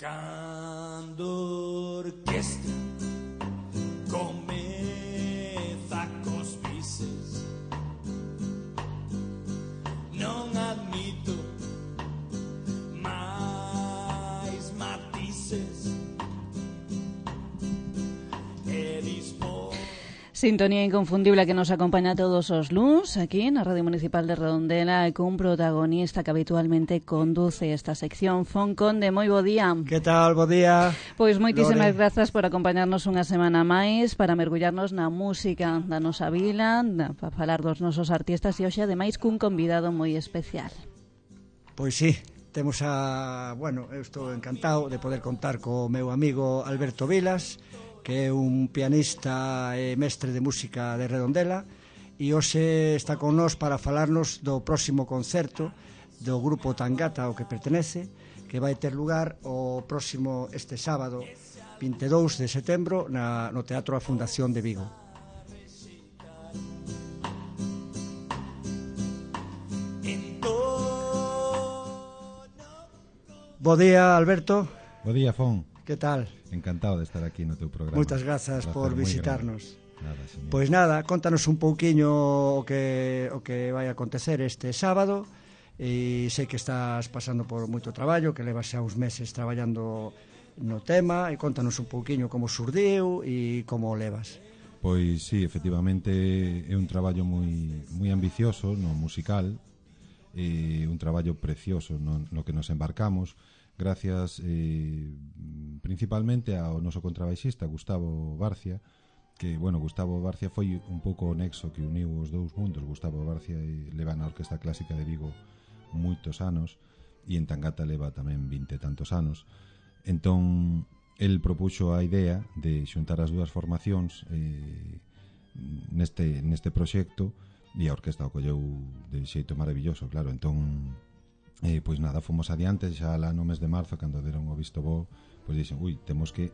Cando orquestra comeza cos bises, non admito máis matices e disposto. Sintonía inconfundible que nos acompaña todos os luns aquí na Radio Municipal de Redondela e cun protagonista que habitualmente conduce esta sección, Fon Conde. Moi bo día. Que tal, bo día? Pois moitísimas grazas por acompañarnos unha semana máis para mergullarnos na música da nosa vila, para falar dos nosos artistas e hoxe ademais cun convidado moi especial. Pois sí, temos eu estou encantado de poder contar co meu amigo Alberto Vilas, que é un pianista e mestre de música de Redondela, e hoxe está con nós para falarnos do próximo concerto do grupo Tangata ao que pertenece, que vai ter lugar este sábado 22 de setembro no Teatro A Fundación de Vigo. Bo día, Alberto. Bo día, Fon. Que tal? Encantado de estar aquí no teu programa. Moitas grazas por visitarnos. Nada, pois nada, contanos un pouquiño o que vai acontecer este sábado. E sei que estás pasando por moito traballo, que levas xa uns meses traballando no tema, e contanos un pouquiño como surdiu e como o levas. Pois sí, efectivamente é un traballo moi ambicioso no musical, un traballo precioso no que nos embarcamos, gracias principalmente ao noso contrabaixista Gustavo Barcia, que, Gustavo Barcia foi un pouco o nexo que uniu os dous mundos. Gustavo Barcia leva na Orquestra Clásica de Vigo moitos anos e en Tangata leva tamén 20 e tantos anos. Entón, el propuxo a idea de xuntar as dúas formacións neste proxecto, e a orquesta o colleu de xeito maravilloso, claro. Entón, pois nada, fomos adiante xa lá no mes de marzo, cando deron o visto bo, pois dixen, temos que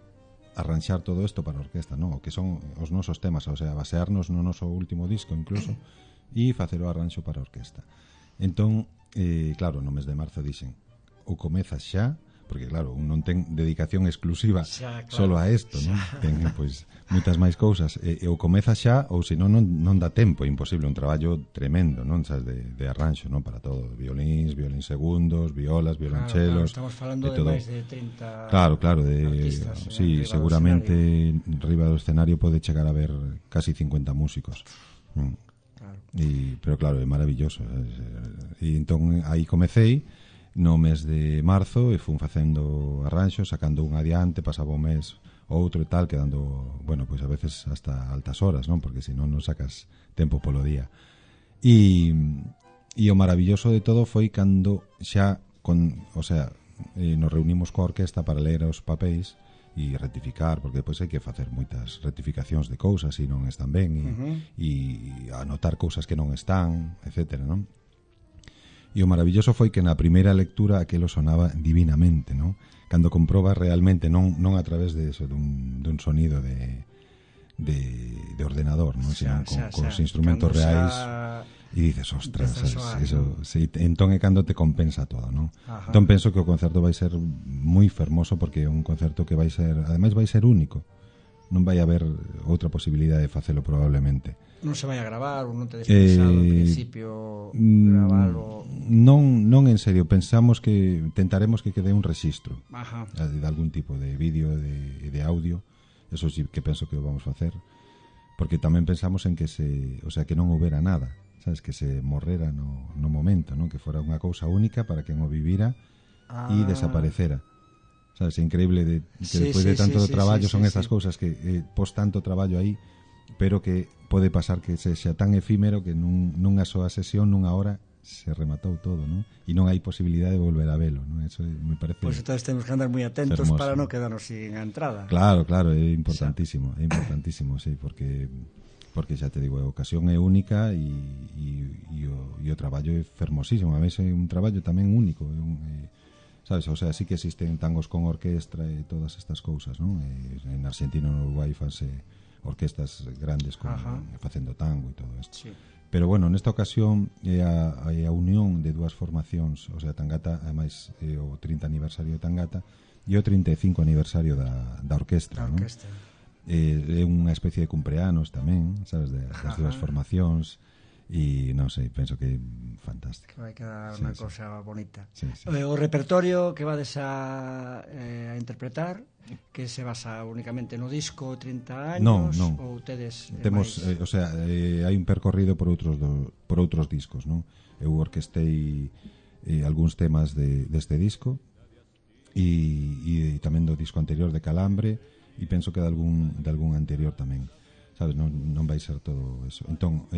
arranxar todo isto para a orquesta, non? O que son os nosos temas, o sea, basearnos no noso último disco incluso, e facer o arranxo para a orquesta. Entón, claro, no mes de marzo dixen, ou comezas xa, porque claro, un non ten dedicación exclusiva xa, claro, solo a isto, non? Ten, pois, moitas máis cousas, ou comezas xa, ou senón non dá tempo, é imposible, un traballo tremendo, non? Sabes, de arranxo, non? Para todo, violíns segundos, violas, violonchelos, claro, estamos falando de máis de 30 claro, artistas, sí, seguramente arriba do escenario pode chegar a ver casi 50 músicos. Claro. Pero claro, é maravilloso. E entón aí comecei no mes de marzo e fun facendo arranxos, sacando un adiante, pasaba un mes outro e tal, quedando, pois a veces hasta altas horas, non? Porque senón non sacas tempo polo día. E o maravilloso de todo foi cando xa nos reunimos coa orquesta para ler os papéis e rectificar, porque depois hai que facer moitas rectificacións de cousas e non están ben, e anotar cousas que non están, etcétera, non? E o maravilloso foi que na primeira lectura aquilo sonaba divinamente, non? Cando comprobas realmente, non a través de eso, dun sonido de ordenador, non? Sino con os instrumentos reais, e dices, ostras, eso, entón é cando te compensa todo, non? Ajá. Entón penso que o concerto vai ser moi fermoso, porque é un concerto que ademais vai ser único. Non vai haber outra posibilidade de facelo probablemente. Non se vai a gravar ou non te pensado en principio gravalo? Non en serio, pensamos que tentaremos que quede un rexistro de algún tipo de vídeo e de audio. Eso sí que penso que o vamos facer, porque tamén pensamos en que que non houbera nada, sabes, que se morrera no momento, non? Que fora unha cousa única para quen o vivira e desaparecera. Sabes, é increíble que despois de tanto traballo son esas cousas que pos tanto traballo aí, pero que pode pasar que sexa tan efímero que nunha soa sesión, nunha hora, se rematou todo, non? E non hai posibilidade de volver a velo, non? Eso me parece. Pois entonces temos que andar moi atentos hermoso, para non quedarnos sin a entrada. Claro, é importantísimo, sí, porque xa te digo, a ocasión é única e o traballo é fermosísimo. A veces é un traballo tamén único, sabes, o sea, sí que existen tangos con orquestra e todas estas cousas, non? En Argentina e no Uruguai fanse orquestas grandes facendo tango e todo isto. Sí. Pero bueno, nesta ocasión é a unión de dúas formacións, o sea, Tangata, ademais é o 30 aniversario de Tangata, e o 35 aniversario da orquestra, non? É unha especie de cumpleanos tamén, sabes, das dúas formacións. E non sei, penso que é fantástico. Vai quedar unha cosa bonita. Sí. O repertorio que vades a interpretar, que se basa únicamente no disco 30 años, non. ou tedes temos, hai un percorrido por outros discos, non? Eu orquestei algúns temas deste disco e tamén do disco anterior de Calambre, e penso que de algún anterior tamén, sabes, non vai ser todo eso. Entón,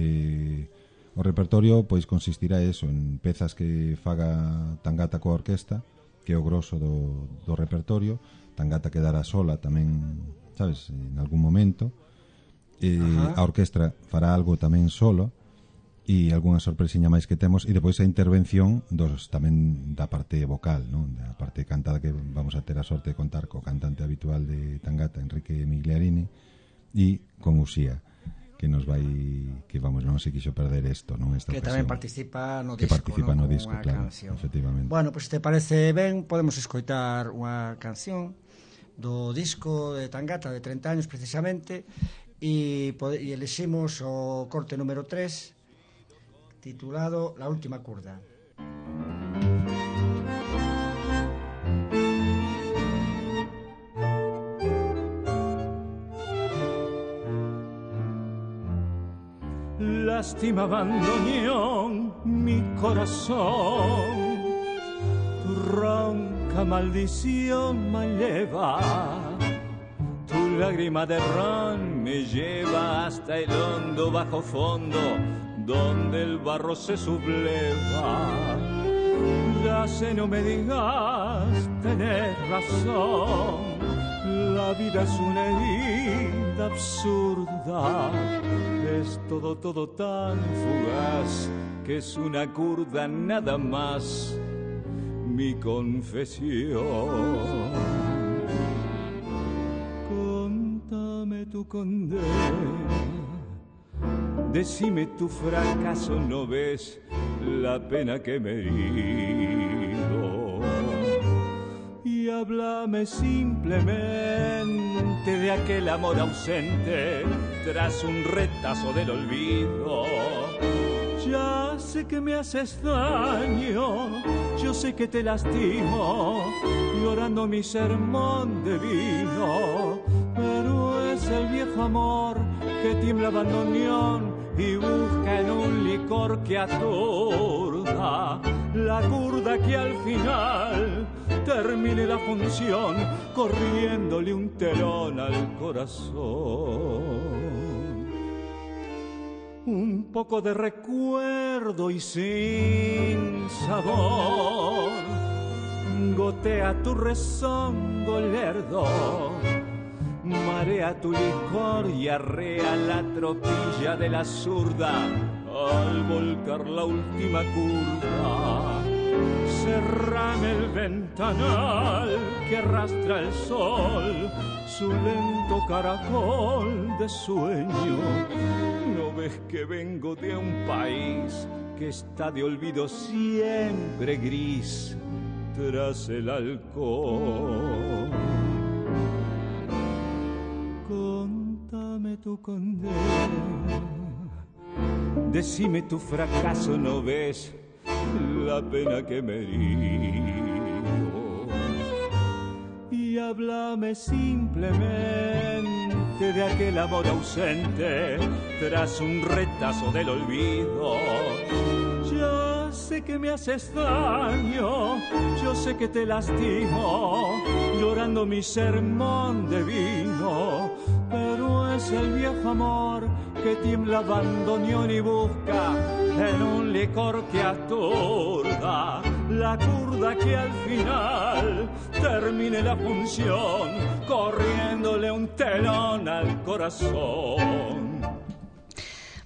o repertorio pois consistirá en pezas que faga Tangata coa orquesta, que é o grosso do repertorio. Tangata quedará sola tamén, sabes, en algún momento. A orquestra fará algo tamén solo, e algunha sorpresiña máis que temos, e depois a intervención tamén da parte vocal, non? Da parte cantada, que vamos a ter a sorte de contar co cantante habitual de Tangata, Enrique Migliarini, e con Uxía, que nos vai, que vamos, non se quixo perder isto, non? Esta que ocasión, tamén participa no que disco, participa no disco, claro, canción. efectivamente. Bueno, pois te parece ben, podemos escoitar unha canción do disco de Tangata de 30 años precisamente, e eleximos o corte número 3 titulado La última curda. Lástima bandoneón mi corazón, tu ronca maldición me lleva, tu lágrima de ron me lleva hasta el hondo bajo fondo, donde el barro se subleva. Ya sé, no me digas, tenés razón, la vida es una herida absurda, es todo tan fugaz, que es una curda nada más, mi confesión. Contame tu condena, decime tu fracaso, ¿no ves la pena que me herido? Y háblame simplemente de aquel amor ausente tras un retazo del olvido. Ya sé que me haces daño, yo sé que te lastimo, llorando mi sermón de vino, pero es el viejo amor que tiembla bandoneón y busca en un licor que aturda, la curda que al final termine la función corriéndole un telón al corazón. Un poco de recuerdo y sin sabor gotea tu rezongo lerdo, marea tu licor y arrea la tropilla de la zurda al volcar la última curva. Cerrame el ventanal que arrastra el sol, su lento caracol de sueño. ¿No ves que vengo de un país que está de olvido siempre gris tras el alcohol? Contame tu condena, decime tu fracaso, ¿no ves la pena que me herido? Y háblame simplemente de aquel amor ausente tras un retazo del olvido. Ya sé que me haces daño, yo sé que te lastimo, llorando mi sermón de vino, pero es el viejo amor que tiembla bandoneón y busca en un licor que aturda, la curda que al final termine la función corriéndole un telón al corazón.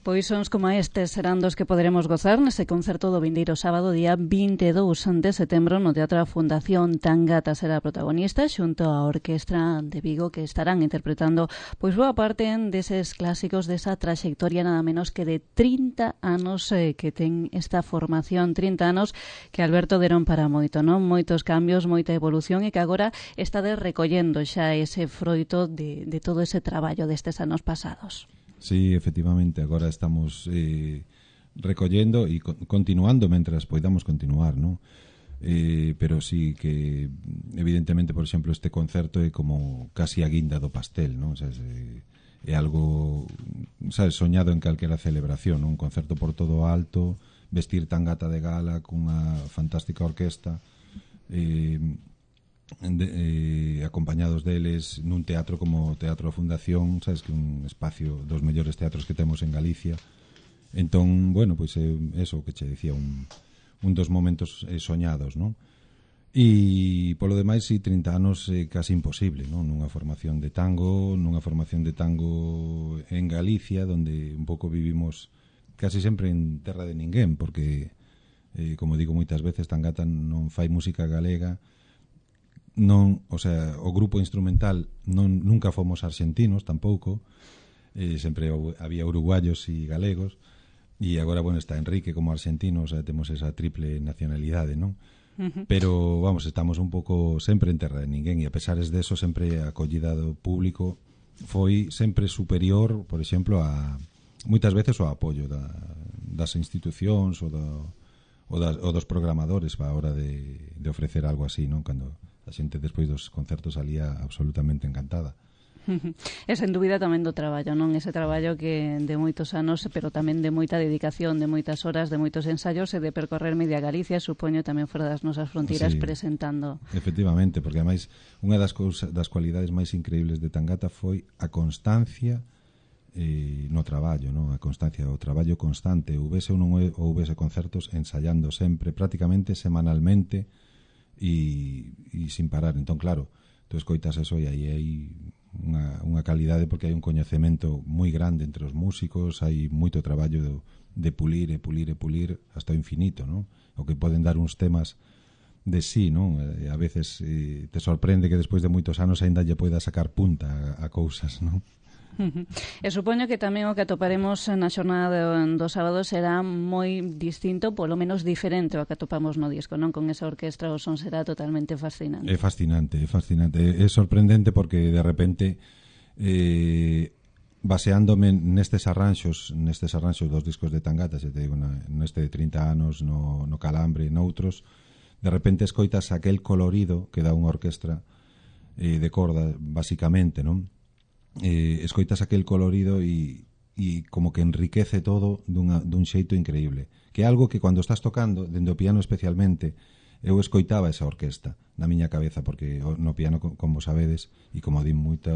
Pois sons como estes serán dos que poderemos gozar nese concerto do vindeiro sábado día 22 de setembro no Teatro da Fundación. Tangata será protagonista xunto á Orquestra de Vigo, que estarán interpretando pois boa parte deses clásicos desa traxectoria nada menos que de 30 anos que ten esta formación, 30 anos que Alberto deron para moito, non? Moitos cambios, moita evolución e que agora está recollendo xa ese froito de todo ese traballo destes anos pasados. Sí, efectivamente, agora estamos recollendo e continuando mentras poidamos continuar, ¿no? Pero sí que evidentemente, por exemplo, este concerto é como casi a guinda do pastel, ¿no? O sea, é algo, sabes, soñado en calquera celebración, ¿no? Un concerto por todo alto, vestir Tangata de gala cunha fantástica orquesta, acompañados deles nun teatro como o Teatro da Fundación, sabes, que é un espacio dos mellores teatros que temos en Galicia. Entón, bueno, pois é eso que che dicía, un dos momentos soñados, non? E polo demais, si 30 anos é casi imposible, non? Nunha formación de tango en Galicia, donde un pouco vivimos casi sempre en terra de ninguén, porque como digo moitas veces, Tangata non fai música galega, non, o sea, o grupo instrumental nunca fomos argentinos tampouco, sempre había uruguayos e galegos, e agora, bueno, está Enrique como argentino, o sea, temos esa triple nacionalidade, non? Pero, vamos, estamos un pouco sempre en terra de ninguén, e a pesares de eso, sempre a acollida do público foi sempre superior, por exemplo, a moitas veces o apoio das institucións ou dos programadores a hora de ofrecer algo así, non? Cando a xente despois dos concertos salía absolutamente encantada. E sen dúbida tamén do traballo, non? Ese traballo que de moitos anos, pero tamén de moita dedicación, de moitas horas, de moitos ensaios e de percorrer media Galicia, supoño tamén fora das nosas fronteiras, sí, presentando. Efectivamente, porque ademais unha das cualidades máis increíbles de Tangata foi a constancia no traballo, non? A constancia, o traballo constante, houvese ou non houvese concertos, ensaiando sempre, prácticamente semanalmente, e sin parar. Entón, claro, tú escoitas eso e aí hai unha calidade, porque hai un coñecemento moi grande entre os músicos, hai moito traballo de pulir e pulir e pulir hasta o infinito, non? O que poden dar uns temas de sí, non? A veces te sorprende que despois de moitos anos aínda lle poida sacar punta a cousas, non? E supoño que tamén o que atoparemos na xornada do sábado será moi distinto, polo menos diferente ao que atopamos no disco, non? Con esa orquestra o son será totalmente fascinante. É fascinante. É sorprendente porque de repente baseándome nestes arranxos dos discos de Tangata, se te digo, neste de 30 anos, no Calambre, noutros, de repente escoitas aquel colorido que dá unha orquestra de corda, basicamente, non? Escoitas aquel colorido e como que enriquece todo dun xeito increíble, que é algo que cando estás tocando, dende o piano especialmente, eu escoitaba esa orquesta na miña cabeza, porque no piano, como sabedes, e como di moita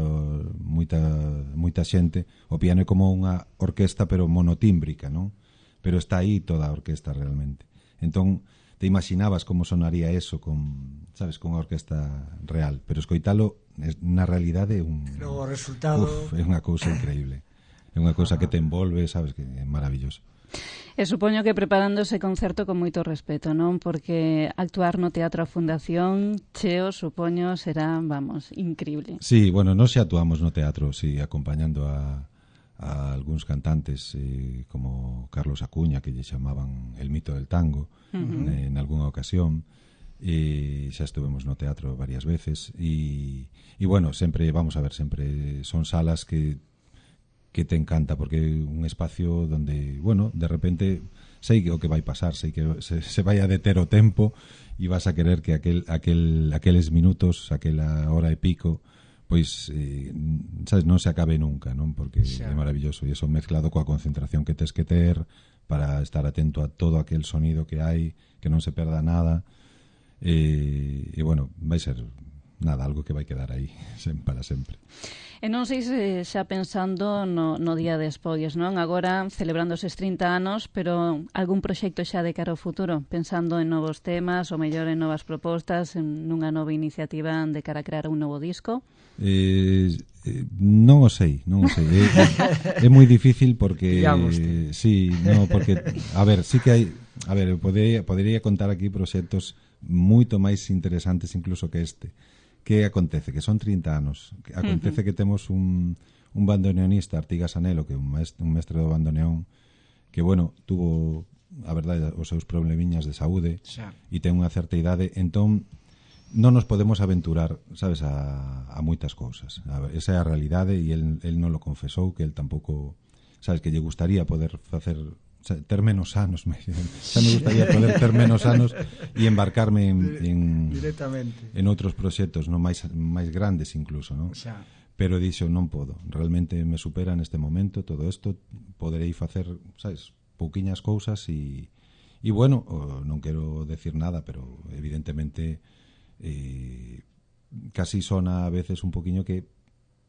xente, o piano é como unha orquesta pero monotímbrica, non? Pero está aí toda a orquesta realmente. Entón, te imaginabas como sonaría eso con unha orquesta real, pero escoitalo na realidade é o resultado é unha cousa increíble. É unha cousa que te envolve, sabes, que é maravilloso. E supoño que preparando ese concerto con moito respeto, non? Porque actuar no Teatro da Fundación, cheo, supoño, será, vamos, increíble. Sí, bueno, nós xa actuamos no teatro, sí, acompañando a algúns cantantes como Carlos Acuña, que lle chamaban el mito del tango, en algunha ocasión, e xa estuvemos no teatro varias veces e bueno, sempre, vamos a ver, sempre son salas que te encanta, porque é un espacio donde, bueno, de repente sei que o que vai pasar, sei que se vai a deter o tempo e vas a querer que aqueles minutos, aquela hora e pico, pois, sabes, non se acabe nunca, non? Porque é maravilloso, e eso mezclado coa concentración que tes que ter para estar atento a todo aquel sonido que hai, que non se perda nada, e bueno, vai ser nada, algo que vai quedar aí para sempre. E non sei se xa pensando no día despois, non? Agora celebrando eses 30 anos, pero algún proxecto xa de cara ao futuro, pensando en novos temas, ou mellor en novas propostas, en nunha nova iniciativa de cara a crear un novo disco? Non o sei. É moi difícil porque sí, no, porque a ver, sí que hai, a ver, podería contar aquí proxectos moito máis interesantes incluso que este. Que acontece? Que son 30 anos. Acontece que temos un bandoneonista, Artigas Anelo, que é un mestre do bandoneón, que, bueno, tuvo, a verdade, os seus problemiñas de saúde e ten unha certa idade, entón non nos podemos aventurar, sabes, a moitas cousas. Esa é a realidade e el non lo confesou, que el tampouco, sabes, que lle gustaría poder facer ter menos anos, xa me gustaría poder ter menos anos e embarcarme en outros proxectos, non máis grandes incluso, non? Pero dixo, non podo, realmente me supera neste momento todo isto, poderei facer, sabes, pouquiñas cousas e bueno, non quero decir nada, pero evidentemente casi sona a veces un poquinho que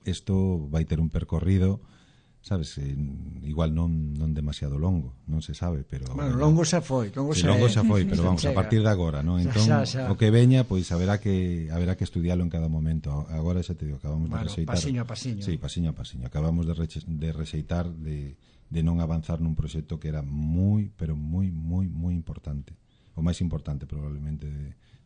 isto vai ter un percorrido, sabes, igual non demasiado longo, non se sabe, pero bueno, longo xa foi, longo xa foi, pero vamos, a partir de agora, non? Entón, o que veña, pois haberá que estudialo en cada momento. Agora xa te digo, acabamos de rexeitar, pasiño a pasiño. Sí, pasiño a pasiño. Acabamos de rexeitar de non avanzar nun proxecto que era moi, pero moi importante. O máis importante probablemente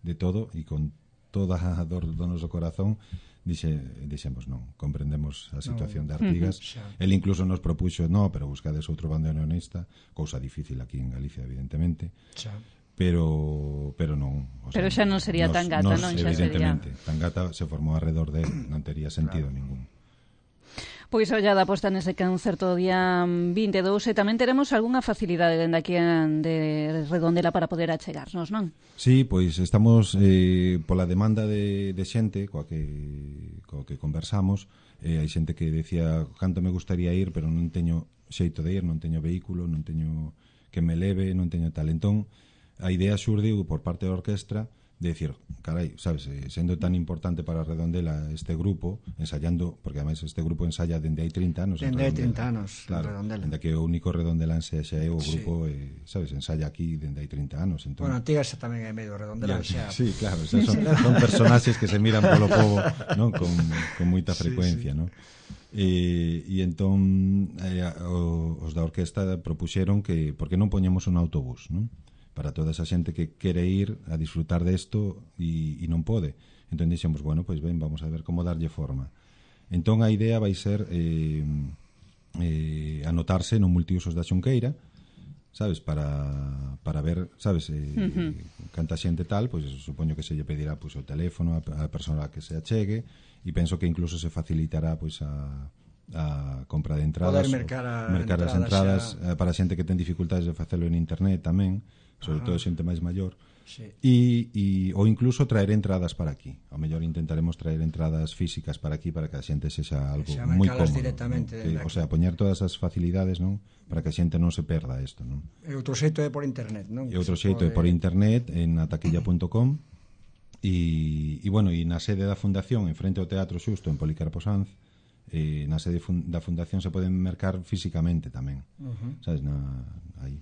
de todo, e con toda a dor do noso corazón dixemos non, comprendemos a situación de Artigas. El incluso nos propuxo, pero buscades outro bandoneonista, cousa difícil aquí en Galicia evidentemente, pero non, o sea, pero xa non sería Tangata, non? Xa evidentemente, Tangata se formou alrededor de él, non tería sentido ningún. Pois ollada posta nese concerto do día 22 e tamén teremos algunha facilidade dende aquí de Redondela para poder achegarnos, non? Sí, pois estamos pola demanda de xente coa que conversamos, hai xente que decía canto me gustaría ir, pero non teño xeito de ir, non teño vehículo, non teño que me leve, non teño tal. Entón, a idea xurdiu por parte da orquestra de decir, carai, sabes, sendo tan importante para Redondela este grupo, ensayando, porque ademais este grupo ensaya dende hai 30 anos. Dende hai 30 anos, claro, Redondela. Dende que o único redondelense xa é o grupo, sabes, ensaya aquí dende hai 30 anos. Entón, bueno, Artigas xa tamén é medio Redondela. Sí, claro, son personaxes que se miran polo pobo, non? Con moita frecuencia, non? E entón os da orquesta propuxeron que, porque non poñemos un autobús, non? Para toda esa xente que quere ir a disfrutar desto e non pode. Entón dixemos, bueno, pois ben, vamos a ver como darlle forma. Entón a idea vai ser anotarse no multiusos da Xunqueira, sabes, para ver, sabes, canta xente tal, pois supoño que se lle pedirá pois o teléfono a persona que se achegue, e penso que incluso se facilitará pois a compra de entradas, poder mercar as entradas para xente que ten dificultades de facelo en internet tamén, sobre todo xente máis maior, ou incluso traer entradas para aquí. Ao mellor intentaremos traer entradas físicas para aquí para que a xente sexa algo moi cómodo, directamente, o sea, poñer todas as facilidades, non, para que a xente non se perda isto, non? E outro xeito é por internet, non? E outro xeito é por internet en ataquilla.com e bueno, e na sede da fundación en frente ao Teatro Xusto en Policarpo Sanz, na sede da fundación se poden mercar físicamente tamén, sabes, aí.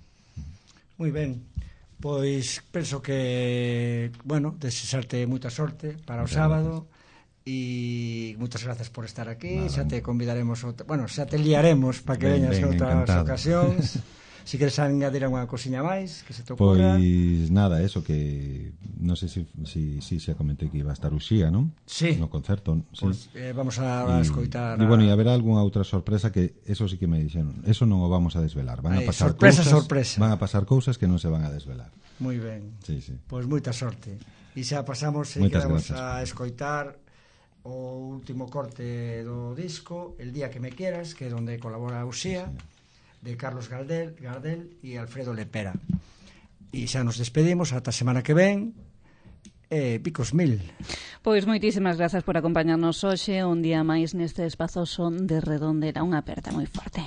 Moi ben. Pois penso que, bueno, desexarte moita sorte para o sábado e moitas grazas por estar aquí. Xa te convidaremos, xa te liaremos para que veñas outras ocasións. Si queres añadir unha cosiña máis que se te ocurra. Pois nada, eso que non sei se xa comentei que iba a estar Uxía, non? Sí. No concerto, pues, vamos a escoitar. E bueno, e haberá algunha outra sorpresa que eso sí que me dixeron. Eso non o vamos a desvelar. Van a pasar sorpresa. Van a pasar cousas que non se van a desvelar. Moi ben. Sí. Pois moita sorte. E xa pasamos e quedamos a escoitar o último corte do disco, El día que me quieras, que é onde colabora Uxía. Sí. De Carlos Gardel e Alfredo Lepera. E xa nos despedimos ata a semana que ven. Picos mil. Pois moitísimas grazas por acompañarnos hoxe un día máis neste espazoso de Redondela. Unha aperta moi forte.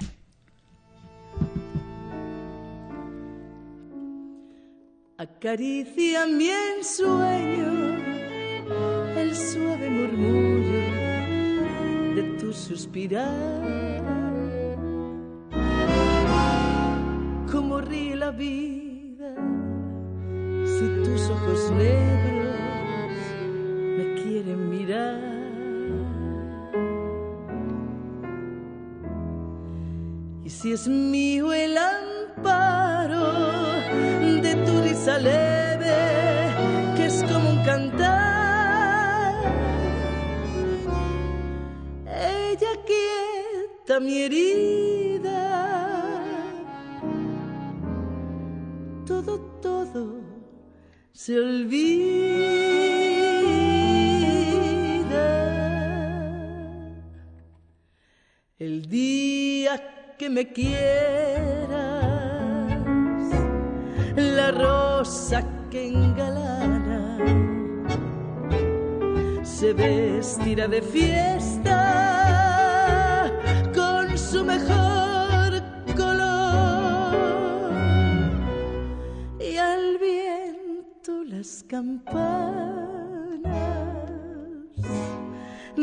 Acaricia mi ensueño el suave murmullo de tu suspirar. Cómo ríe la vida si tus ojos negros me quieren mirar. Y si es mío el amparo de tu risa leve, que es como un cantar, ella quieta mi herida, todo se olvida. El día que me quieras, la rosa que engalana se vestirá de fiesta con su mejor color, y al viento las campanas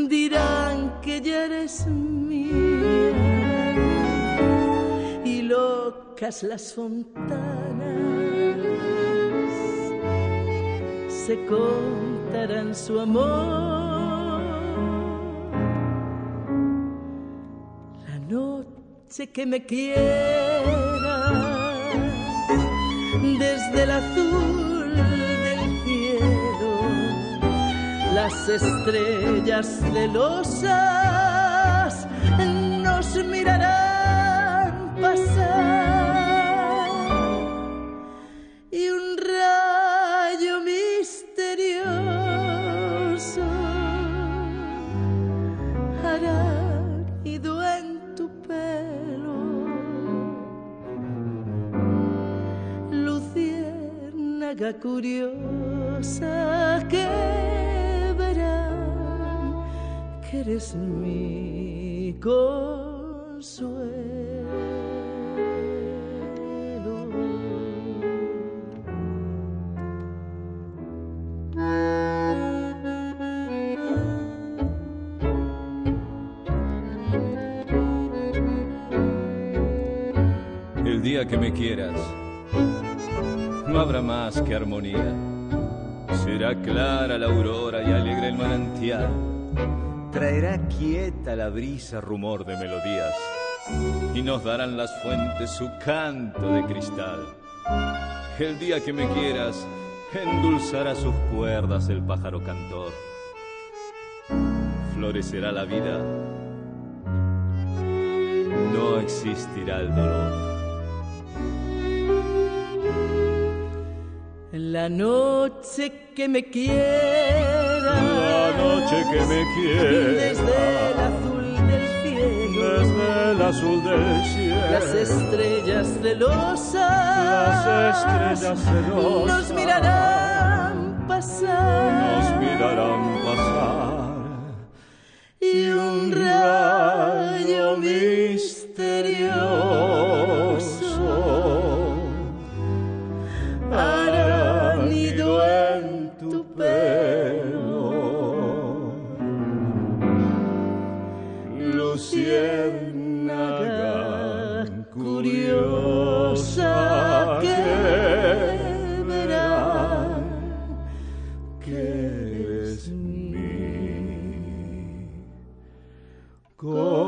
dirán que ya eres mía, y locas las fontanas se contarán su amor. La noche que me quieras, desde el azul del cielo, las estrellas celosas nos mirarán pasar, y un rayo misterioso hará nido en tu pelo, luciérnaga curiosa que verán que eres mi consuelo. El día que me quieras, no habrá más que armonía. Será clara la aurora y alegre el manantial. Traerá quieta la brisa rumor de melodías, y nos darán las fuentes su canto de cristal. El día que me quieras, endulzará sus cuerdas el pájaro cantor. Florecerá la vida, no existirá el dolor. La noche que me quieras, la noche que me quieras, desde el azul del cielo, desde el azul del cielo, las estrellas celosas nos mirarán pasar, y un rayo misterioso hará nido en tu pelo, luciérnaga curiosa que verán que eres mi consuelo.